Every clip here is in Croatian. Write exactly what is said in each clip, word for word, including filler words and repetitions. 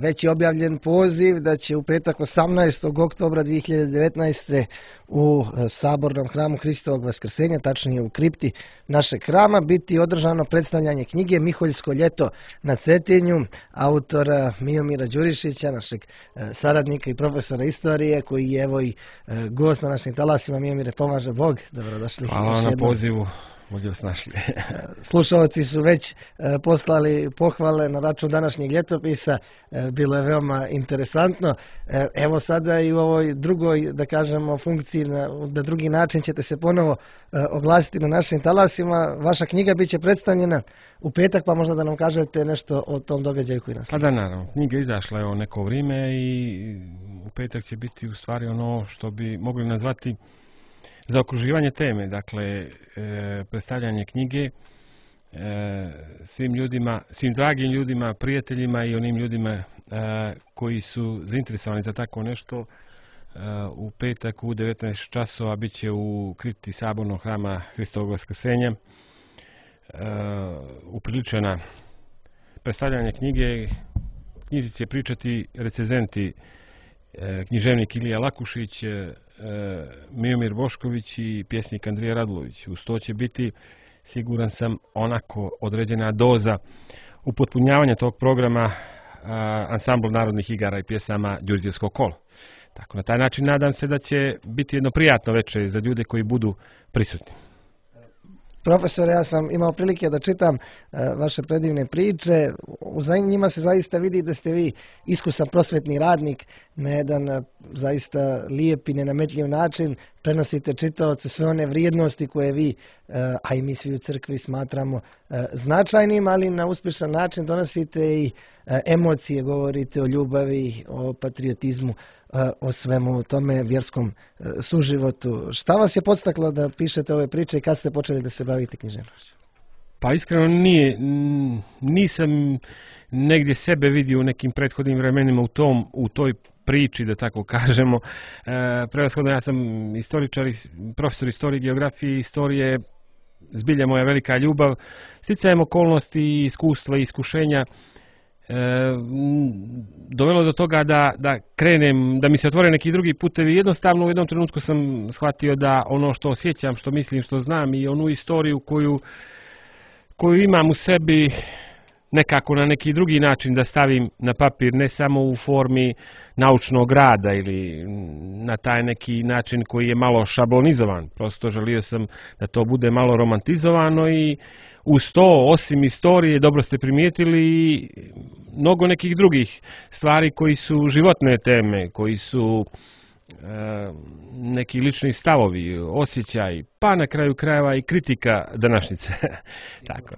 već je objavljen poziv da će u petak osamnaestog oktobra dvije hiljade devetnaeste. u Sabornom hramu Hristovog Vaskrsenja, tačnije u kripti našeg hrama, biti održano predstavljanje knjige Miholjsko ljeto na Cetinju, autora Miomira Đurišića, našeg saradnika i profesora istorije, koji je evo i gost na našim talasima. Miomire, pomaže Bog, dobrodošli. Hvala na pozivu. Bolje vas našli. Slušalci su već e, poslali pohvale na račun današnjeg ljetopisa, e, bilo je veoma interesantno. E, evo sada i u ovoj drugoj, da kažemo, funkciji, na, na drugi način ćete se ponovo e, oglasiti na našim talasima. Vaša knjiga bit će predstavljena u petak, pa možda da nam kažete nešto o tom događaju koji nas. Pa da, naravno. Knjiga izašla je o neko vrijeme i u petak će biti u stvari ono što bi mogli nazvati zaokruživanje teme, dakle e, predstavljanje knjige e, svim ljudima, svim dragim ljudima, prijateljima i onim ljudima e, koji su zainteresovani za tako nešto. E, u petak u devetnaest časova bit će u kripti Sabornog hrama Hristovog Vaskrsenja e, upriličena predstavljanje knjige. Knjizi će pričati recenzenti e, književnik Ilija Lakušić, e, Miomir Bošković i pjesnik Andrija Radulović. Uz to će biti, siguran sam, onako određena doza upotpunjavanja tog programa a, ansambl narodnih igara i pjesama Đurđevsko kolo. Tako, na taj način nadam se da će biti jedno prijatno večer za ljude koji budu prisutni. Profesore, ja sam imao prilike da čitam uh, vaše predivne priče. U njima se zaista vidi da ste vi iskusan prosvetni radnik, na jedan uh, zaista lijep i nenametljiv način prenosite čitaoce sve one vrijednosti koje vi, uh, a i mi svi u crkvi smatramo uh, značajnim, ali na uspješan način donosite i uh, emocije, govorite o ljubavi, o patriotizmu, o svemu tome vjerskom suživotu. Šta vas je podstaklo da pišete ove priče i kad ste počeli da se bavite književnošću? Pa iskreno nije, nisam negdje sebe vidio u nekim prethodnim vremenima u tom, u toj priči, da tako kažemo. E, prevashodno ja sam istoričar, profesor istorije, geografije i istorije, zbilja moja velika ljubav. Sticajem okolnosti, iskustva i iskušenja E, dovelo do toga da, da krenem, da mi se otvore neki drugi putevi. Jednostavno u jednom trenutku sam shvatio da ono što osjećam, što mislim, što znam i onu istoriju koju, koju imam u sebi nekako na neki drugi način da stavim na papir, ne samo u formi naučnog rada ili na taj neki način koji je malo šablonizovan. Prosto želio sam da to bude malo romantizovano i uz to, osim istorije, dobro ste primijetili, mnogo nekih drugih stvari koji su životne teme, koji su e, neki lični stavovi, osjećaj, pa na kraju krajeva i kritika današnjice. Tako.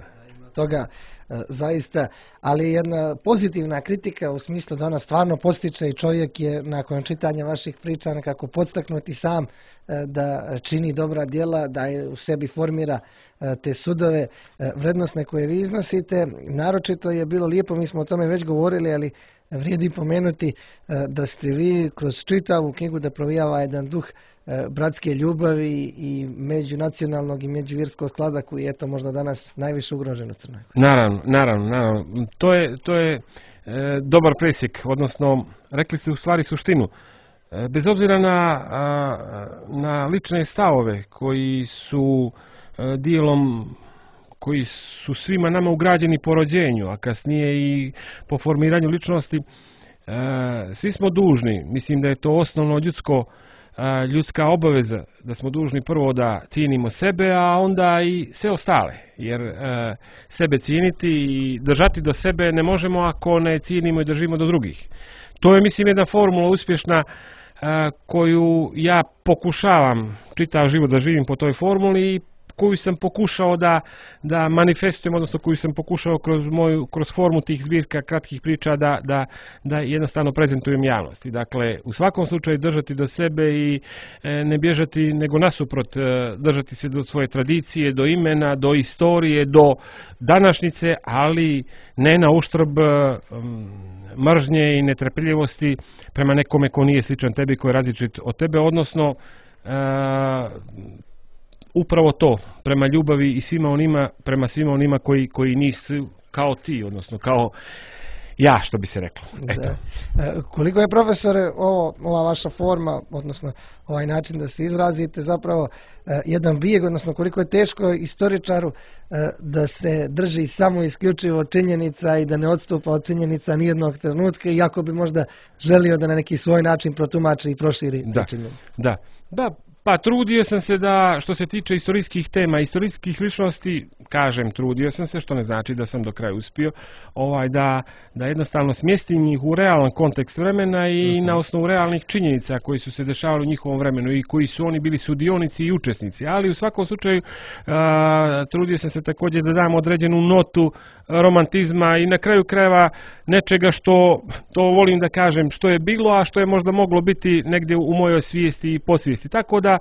Toga e, zaista, ali jedna pozitivna kritika u smislu da ona stvarno postiče i čovjek je nakon čitanja vaših priča nekako podstaknuti sam e, da čini dobra djela, da je u sebi formira te sudove vrednostne koje vi iznosite. Naročito je bilo lijepo, mi smo o tome već govorili, ali vrijedi pomenuti da ste vi kroz čitavu knjigu da provijava jedan duh bratske ljubavi i međunacionalnog i međuvjerskog sklada koji je to možda danas najviše ugrožen u Crnoj Gori. Naravno, naravno, naravno. To je, to je e, dobar presjek, odnosno rekli ste u stvari suštinu. E, bez obzira na, a, na lične stavove koji su dijelom koji su svima nama ugrađeni po rođenju, a kasnije i po formiranju ličnosti, svi smo dužni, mislim da je to osnovno ljudsko, ljudska obaveza, da smo dužni prvo da cijenimo sebe, a onda i sve ostale, jer sebe cijeniti i držati do sebe ne možemo ako ne cijenimo i držimo do drugih. To je, mislim, jedna formula uspješna koju ja pokušavam čitav život da živim po toj formuli i koju sam pokušao da, da manifestujem, odnosno koju sam pokušao kroz moju, kroz formu tih zbirka kratkih priča da, da, da jednostavno prezentujem javnosti. Dakle, u svakom slučaju držati do sebe i e, ne bježati, nego nasuprot, e, držati se do svoje tradicije, do imena, do istorije, do današnjice, ali ne na uštrb e, mržnje i netrpeljivosti prema nekome ko nije sličan tebi, ko je različit od tebe, odnosno e, upravo to, prema ljubavi i svima onima, prema svima onima koji, koji nisu kao ti, odnosno kao ja, što bi se reklo. Eto. Da. Koliko je, profesore, ovo, ova vaša forma, odnosno ovaj način da se izrazite, zapravo jedan bijeg, odnosno koliko je teško istoričaru da se drži samo isključivo činjenica i da ne odstupa od činjenica nijednog trenutka, iako bi možda želio da na neki svoj način protumači i proširi da, činjenice. Da, da. Pa trudio sam se da, što se tiče istorijskih tema, istorijskih ličnosti, kažem, trudio sam se, što ne znači da sam do kraja uspio, ovaj, da, da jednostavno smjestim ih u realan kontekst vremena i uh-huh. na osnovu realnih činjenica koji su se dešavali u njihovom vremenu i koji su oni bili sudionici i učesnici. Ali u svakom slučaju a, trudio sam se također da dam određenu notu romantizma i na kraju krajeva nečega što, to volim da kažem, što je bilo, a što je možda moglo biti negdje u mojoj svijesti i podsvijesti. Tako da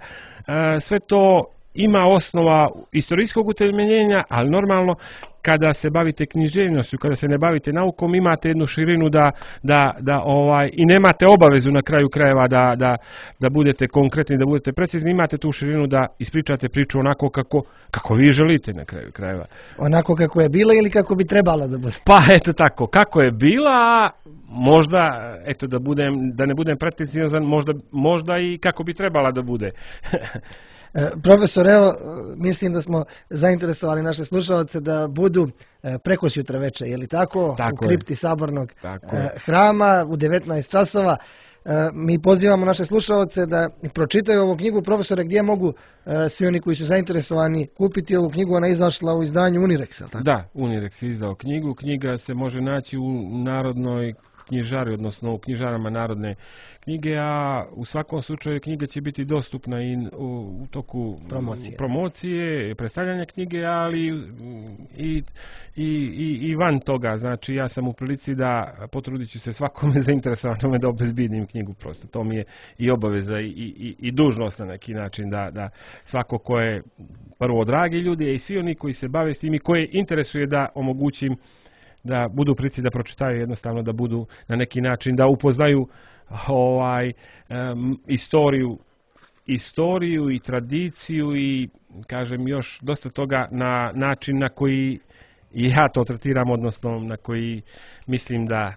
sve to ima osnova istorijskog utemeljenja, ali normalno kada se bavite književnošću, kada se ne bavite naukom, imate jednu širinu da, da, da ovaj, i nemate obavezu na kraju krajeva da, da, da budete konkretni, da budete precizni, imate tu širinu da ispričate priču onako kako, kako vi želite na kraju krajeva. Onako kako je bila ili kako bi trebala da bude? Pa eto tako, kako je bila, možda, eto da, budem, da ne budem precizan, možda, možda i kako bi trebala da bude. Profesor, evo, mislim da smo zainteresovali naše slušalce da budu preko sutra večer, je li tako? Tako u kripti je. Sabornog tako hrama u devetnaest časova. Mi pozivamo naše slušalce da pročitaju ovu knjigu. Profesore, gdje mogu svi oni koji su zainteresovani kupiti ovu knjigu? Ona je izašla u izdanju Unirexa, tako? Da, Unirex je izdao knjigu. Knjiga se može naći u Narodnoj knjižari, odnosno u knjižarama Narodne knjige, a u svakom slučaju knjiga će biti dostupna i u, u toku promocije, promocije predstavljanja knjige, ali i, i, i, i van toga. Znači, ja sam u prilici da potrudit ću se svakome zainteresovanome da obezbijedim knjigu prosto. To mi je i obaveza i, i, i dužnost na neki način da, da svako ko je prvo dragi ljudi i svi oni koji se bave s tim i koje interesuje da omogućim da budu u prilici da pročitaju, jednostavno da budu na neki način, da upoznaju ovaj um, istoriju istoriju i tradiciju i kažem još dosta toga na način na koji ja to tretiram, odnosno na koji mislim da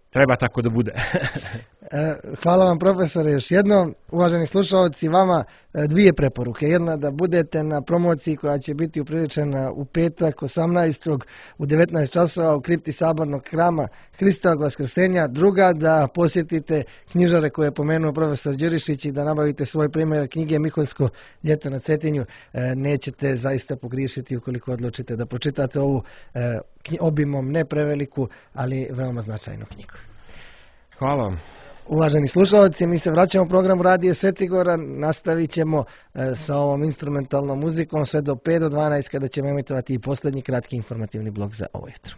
treba tako da bude. Hvala vam, profesore, još jednom. Uvaženi slušalci, vama dvije preporuke. Jedna, da budete na promociji koja će biti upriličena u petak osamnaestog u devetnaest časova u kripti Sabornog hrama Hristovog Vaskrsenja. Druga, da posjetite knjižare koje je pomenuo profesor Đurišić i da nabavite svoj primjer knjige Miholjsko ljeto na Cetinju. Nećete zaista pogriješiti ukoliko odlučite da pročitate ovu obimom ne preveliku, ali veoma značajnu knjigu. Hvala vam. Uvaženi slušalci, mi se vraćamo u programu Radio Svetigora, nastavit ćemo e, sa ovom instrumentalnom muzikom sve do pet do dvanaest kada ćemo emitovati i posljednji kratki informativni blok za ovo jutro.